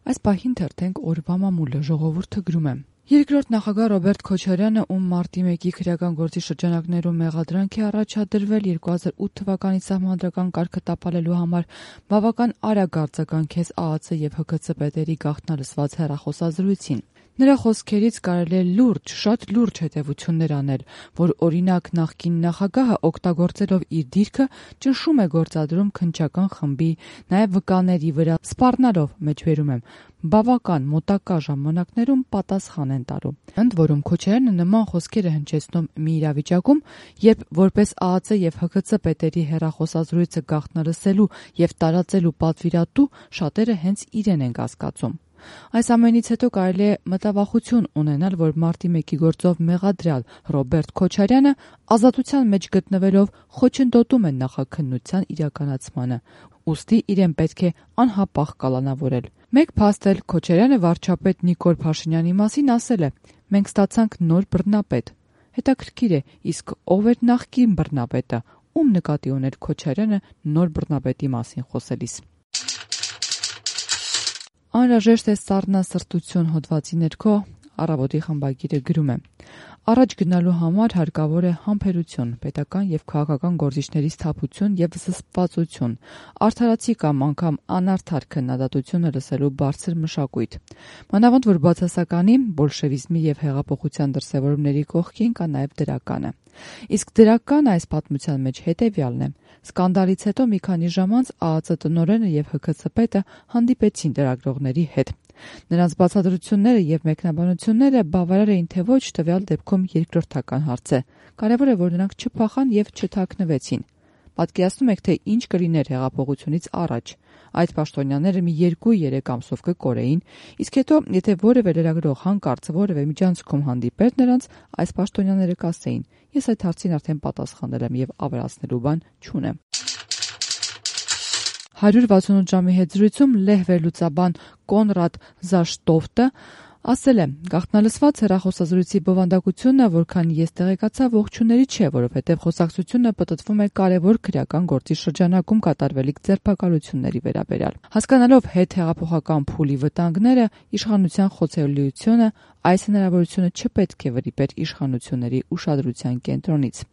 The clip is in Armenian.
Այս պահին թերթենք օրվա մամուլը, ժողովուրդը գրում է. Երկրորդ նախագահ Ռոբերտ Քոչարյանը, ում մարտի 1-ի քրեական գործի շրջանակներում մեղադրանք է առաջադրվել 2008 թվականի սահմանադրական կարգը տապալելու համար, բավական արագ արձագանքեց ԱԱՑ եւ ՀՔՑ պետերի գաղտնալսված հեռախոսազրույցին։ Նրա խոսքերից կարելի է շատ լուրջ հետևություններ անել, որ օրինակ նախկին նախագահը օգտագործելով իր դիրքը ճնշում է գործադրում քննչական խմբի, նաև վկաների վրա, սպառնալով մեջբերում եմ, բավական մոտակա ժամանակներում պատասխան են տալու։ Ընդ որում Քոչարյանը նման խոսքեր է հնչեցնում մի իրավիճակում, երբ որպես ԱԱՑ եւ ՀՔՑ պետերի հեռախոսազրույցը գաղտնալսելու եւ տարածելու պատվիրատու շատերը հենց իրեն են կասկածում։ Այս ամենից հետո կարելի է մտավախություն ունենալ, որ մարտի 1-ի գործով մեղադրյալ Ռոբերտ Քոչարյանը ազատության մեջ գտնվելով խոչընդոտում է նախաքննության իրականացմանը, ուստի իրեն պետք է անհապաղ կալանավորել։ Մեկ փաստ էլ Քոչարյանը վարչապետ Նիկոլ Փաշինյանի մասին ասել է. «Մենք ստացանք նոր բռնապետ»։ Հետաքրքիր է, իսկ ով էր նախկին բռնապետը, ում նկատի ուներ Քոչարյանը նոր բռնապետի մասին խոսելիս։ Անհրաժեշտ է սառնասրտություն հոդվածի ներքո Առավոտի խմբագիրը գրում է. Առաջ գնալու համար հարկավոր է համբերություն, պետական եւ քաղաքական գործիչների սթափություն եւ զսպվածություն, արդարացի կամ անգամ անարդար քննադատությունը լսելու բարձր մշակույթ։ Մանավանդ որ բացասականի, բոլշևիզմի եւ հեղափոխության դրսեւորումների կողքին կա նաեւ դրականը։ Իսկ դրական այս պատմության մեջ հետեւյալն է. սկանդալից հետո մի քանի ժամ անց ԱԱՑ տնօրենը եւ ՀՔՑ պետը հանդիպեցին լրագրողների հետ։ Նրանց բացատրությունները եւ մեկնաբանությունները բավարար էին թե ոչ տվյալ դեպքում երկրորդական հարց է։ Կարևոր է, որ նրանք չփախան եւ չթաքնվեցին։ Պատկերացնում եք, թե ինչ կլիներ հեղափոխությունից առաջ։ Այդ պաշտոնյաները մի 2-3 ամսով կկորեին, իսկ հետո, եթե որևէ լրագրող հանկարծ որևէ միջանցքում հանդիպեր նրանց, այս պաշտոնյաները կասեին. «Ես այդ հարցին արդեն պատասխանել եմ եւ ավելացնելու բան չունեմ»։ 168 ժամի հետ զրույցում լեհ վերլուծաբան Կոնրադ Զաշտոֆտը ասել է. «Գաղտնալսված հեռախոսազրույցի բովանդակությունը, որքան ես տեղեկացա, ողջունելի չէ, որովհետև խոսակցությունը պտտվում է կարևոր քրեական գործի շրջանակում կատարվելիք ձերբակալությունների վերաբերյալ։ Հասկանալով հետհեղափոխական փուլի վտանգները, իշխանության խոցելիությունը, այս հնարավորությունը չպետք է վրիպեր իշխանությունների ուշադրության կենտրոնից»։